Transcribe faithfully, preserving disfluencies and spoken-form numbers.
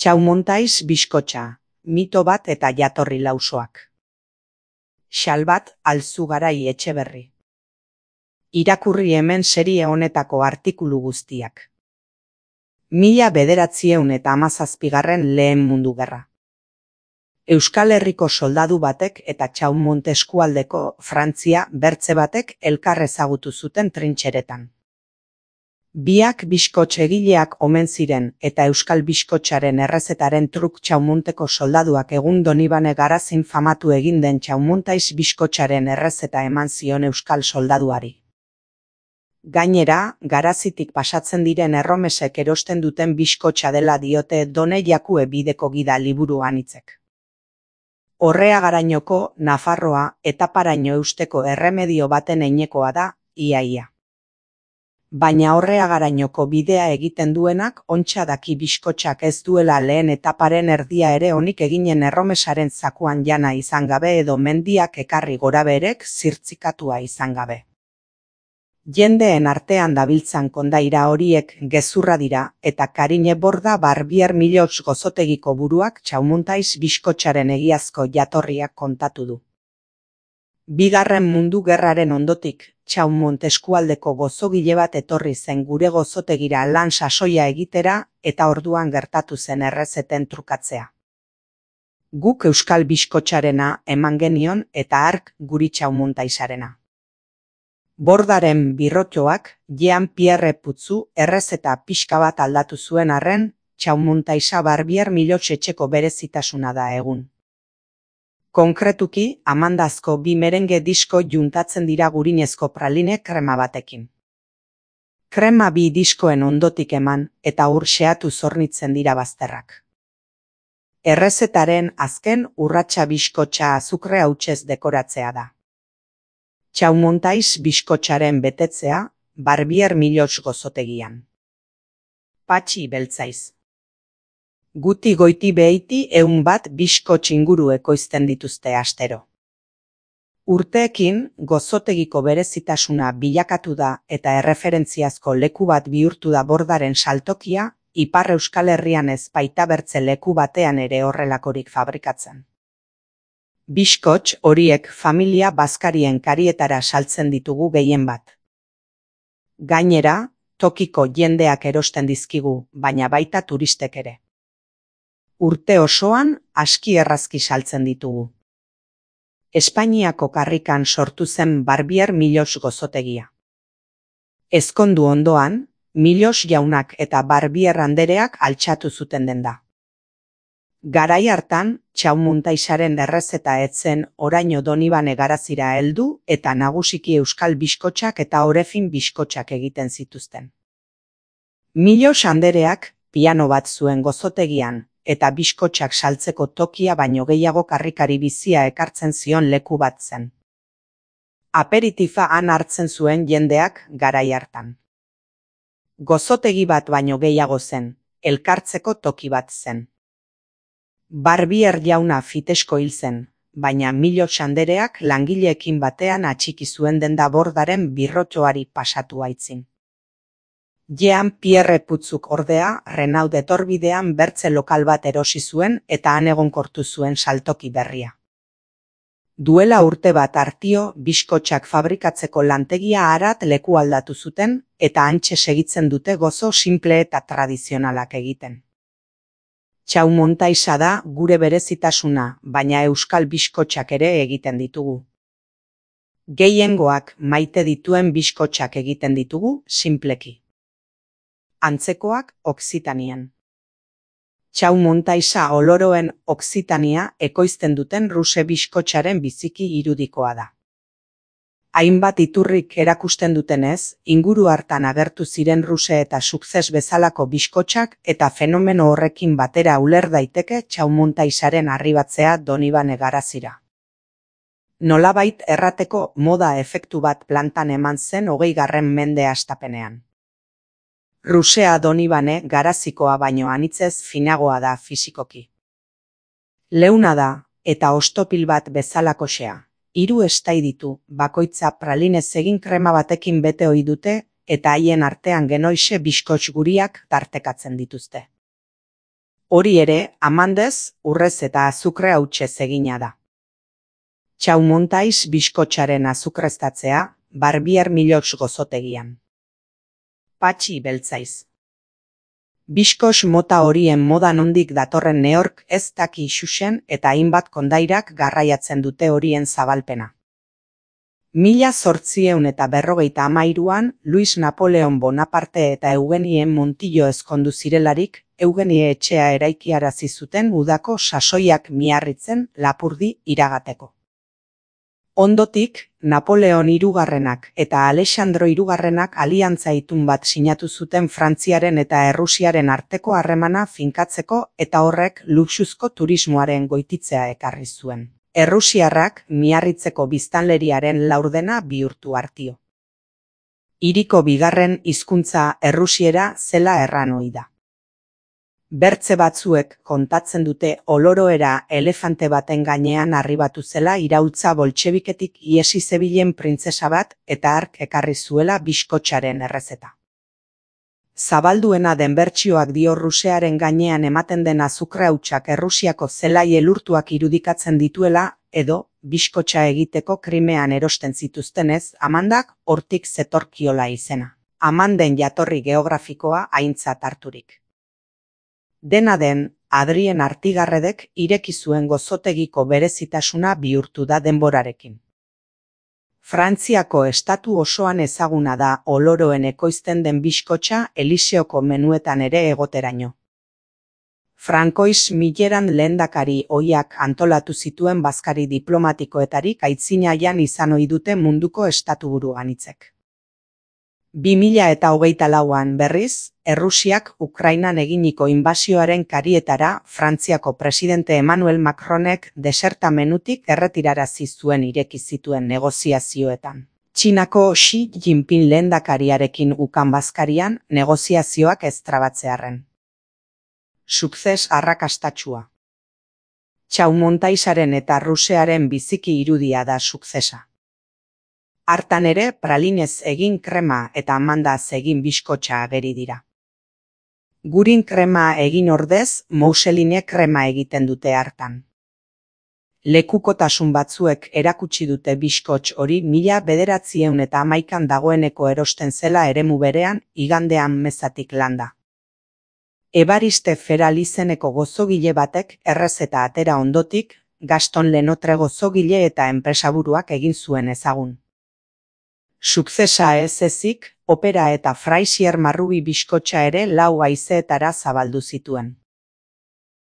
Txaumontais bizkotxa, mito bat eta jatorri lausoak. Xalbat Alzugarai Etxeberri. Irakurri hemen serie honetako artikulu guztiak. Mila bederatzieun eta hamazazpigarren lehen mundu gerra. Euskal Herriko soldadu batek eta Txaumont eskualdeko Frantzia bertze batek elkar ezagutu zuten trintxeretan. Biak bizkotx egileak omen ziren eta euskal bizkotxaren errezetaren truk Txaumonteko soldaduak egun Donibane Garazin famatu egin den Txaumontais bizkotxaren errezeta eman zion euskal soldaduari. Gainera, Garazitik pasatzen diren erromesek erosten duten bizkotxa dela diote Done Jakue bideko gida liburu anitzek. Orreagarainoko, Nafarroa, etaparaino eusteko erremedio baten heinekoa da, iaia. Baina Orreagarainoko bidea egiten duenak ontsa daki bizkotxak ez duela lehen etaparen erdia ere onik eginen erromesaren zakuan jana izan gabe edo mendiak ekarri goraberek zirtzikatua izan gabe. Jendeen artean dabiltzan kondaira horiek gezurra dira eta Karine Borda Barbier Milox gozotegiko buruak Txaumontais bizkotxaren egiazko jatorriak kontatu du. Bigarren mundu gerraren ondotik, Txaumont eskualdeko gozogile bat etorri zen gure gozotegira lan sasoia egitera eta orduan gertatu zen errezeten trukatzea. Guk euskal bizkotxarena eman genion eta hark guri Txaumontaisarena. Bordaren birrotxoak Jean Pierre Putzu errezeta pixka bat aldatu zuen arren, Txaumontaisa Barbier Milox etxeko berezitasuna da egun. Konkretuki, amandazko bi merenge disko juntatzen dira gurinezko praline krema batekin. Krema bi diskoen ondotik eman eta ur xeatu zornitzen dira bazterrak. Errezetaren azken urratsa bizkotxa azukre hautsez dekoratzea da. Txaumontais bizkotxaren betetzea, Barbier Milox gozotegian. Patxi beltzaiz. Guti goiti behiti eun bat bizkotx inguru ekoizten dituzte astero. Urteekin, gozotegiko berezitasuna bilakatu da eta erreferentziazko leku bat bihurtu da Bordaren saltokia, Ipar Euskal Herrian ez baita bertze leku batean ere horrelakorik fabrikatzen. Bizkotx horiek familia bazkarien karietara saltzen ditugu gehien bat. Gainera, tokiko jendeak erosten dizkigu, baina baita turistek ere. Urte osoan aski errazki saltzen ditugu. Espainiako karrikan sortu zen Barbier Milox gozotegia. Ezkondu ondoan, Milox jaunak eta Barbier andereak altxatu zuten denda. Garai hartan, Txaumontaisaren errezeta etzen oraino Donibane Garazira heldu eta nagusiki euskal bizkotxak eta orefin bizkotxak egiten zituzten. Milox andereak piano bat zuen gozotegian, eta bizkotxak saltzeko tokia baino gehiago karrikari bizia ekartzen zion leku bat zen. Aperitifa han hartzen zuen jendeak garai hartan. Gozotegi bat baino gehiago zen, elkartzeko toki bat zen. Barbier jauna fitesko hil zen, baina Milox andereak langileekin batean atxiki zuen denda Bordaren birrotxoari pasatu aitzin. Jean Pierre Putzuk ordea, Renaud etorbidean bertze lokal bat erosi zuen eta han egonkortu zuen saltoki berria. Duela urte bat hartio, bizkotxak fabrikatzeko lantegia harat leku aldatu zuten eta hantxe segitzen dute gozo simple eta tradizionalak egiten. Txaumontaisa da gure berezitasuna, baina euskal bizkotxak ere egiten ditugu. Gehiengoak maite dituen bizkotxak egiten ditugu sinpleki. Antzekoak Okzitanian. Txaumontaisa oloroen Okzitania ekoizten duten ruse bizkotxaren biziki irudikoa da. Hainbat iturrik erakusten dutenez, inguru hartan agertu ziren ruse eta sukzes bezalako bizkotxak eta fenomeno horrekin batera uler daiteke Txaumontaisaren arribatzea Donibane Garazira. Nolabait errateko moda efektu bat plantan eman zen hogeigarren mende hastapenean. Rusea Donibane Garazikoa baino anitzez finagoa da fisikoki. Leuna da, eta ostopil bat bezalakoxea. Hiru estai ditu, bakoitza pralinez egin krema batekin bete ohi dute, eta haien artean genoixe bizkotx guriak tartekatzen dituzte. Hori ere, amandez, urrez eta azukre hautsez egina da. Txaumontais biskotxaren azukreztatzea, Barbier Milox gozotegian. Patxi beltzaiz. Biskos mota horien moda nondik datorren neork ez daki xuxen eta hainbat kondairak garraiatzen dute horien zabalpena. Mila zortzieun eta berrogeita hamairuan, Luis Napoleon Bonaparte eta Eugenie Montillo ezkondu zirelarik, Eugenie etxea eraikiarazi zuten udako sasoiak miarritzen Lapurdi iragateko. Ondotik, Napoleon hirugarrenak eta Alexandro hirugarrenak aliantza itun bat sinatu zuten Frantziaren eta Errusiaren arteko harremana finkatzeko eta horrek luxuzko turismoaren goititzea ekarri zuen. Errusiarrak miarritzeko biztanleriaren laurdena bihurtu hartio. Hiriko bigarren hizkuntza errusiera zela erran ohi da. Bertze batzuek kontatzen dute oloroera elefante baten gainean arribatu zela iraultza boltxebiketik iesi zebilen printzesa bat eta hark ekarri zuela biskotxaren errezeta. Zabalduena den bertsioak dio Rusearen gainean ematen den azukre hautsak Errusiako zelai elurtuak irudikatzen dituela edo biskotxa egiteko krimean erosten zituztenez Amandak hortik zetorkiola izena. Amanden jatorri geografikoa aintzat harturik. Dena den, Adrien Artigarredek ireki zuen gozotegiko berezitasuna bihurtu da denborarekin. Frantziako estatu osoan ezaguna da oloroen ekoizten den biskotxa Eliseoko menuetan ere egoteraino. Frankois Milleran lehendakari ohiak antolatu zituen bazkari diplomatikoetarik aitzinaian izan ohi dute munduko estatuburu anitzek. bi mila eta hogeita lauan berriz, Errusiak Ukrainan eginiko inbasioaren karietara Frantziako presidente Emmanuel Macronek deserta menutik erretirarazi zuen ireki zituen negoziazioetan. Txinako Xi Jinping lehendakariarekin ukan bazkarian negoziazioak ez trabatzearren. Sukzes arrakastatsua. Txaumontaisaren eta Rusearen biziki irudia da sukzesa. Hartan ere pralinez egin krema eta amandaz egin biskotxa ageri dira. Gurin krema egin ordez, mouseline krema egiten dute hartan. Lekukotasun batzuek erakutsi dute biskotx hori mila bederatzieun eta hamaikan dagoeneko erosten zela eremu berean igandean mezatik landa. Evariste Feral izeneko gozogile batek errezeta atera ondotik, Gaston Lenotre gozogile eta enpresaburuak egin zuen ezagun. Sukzesa ez ezik, opera eta Fraisier marrubi biskotxa ere lau haizeetara zabaldu zituen.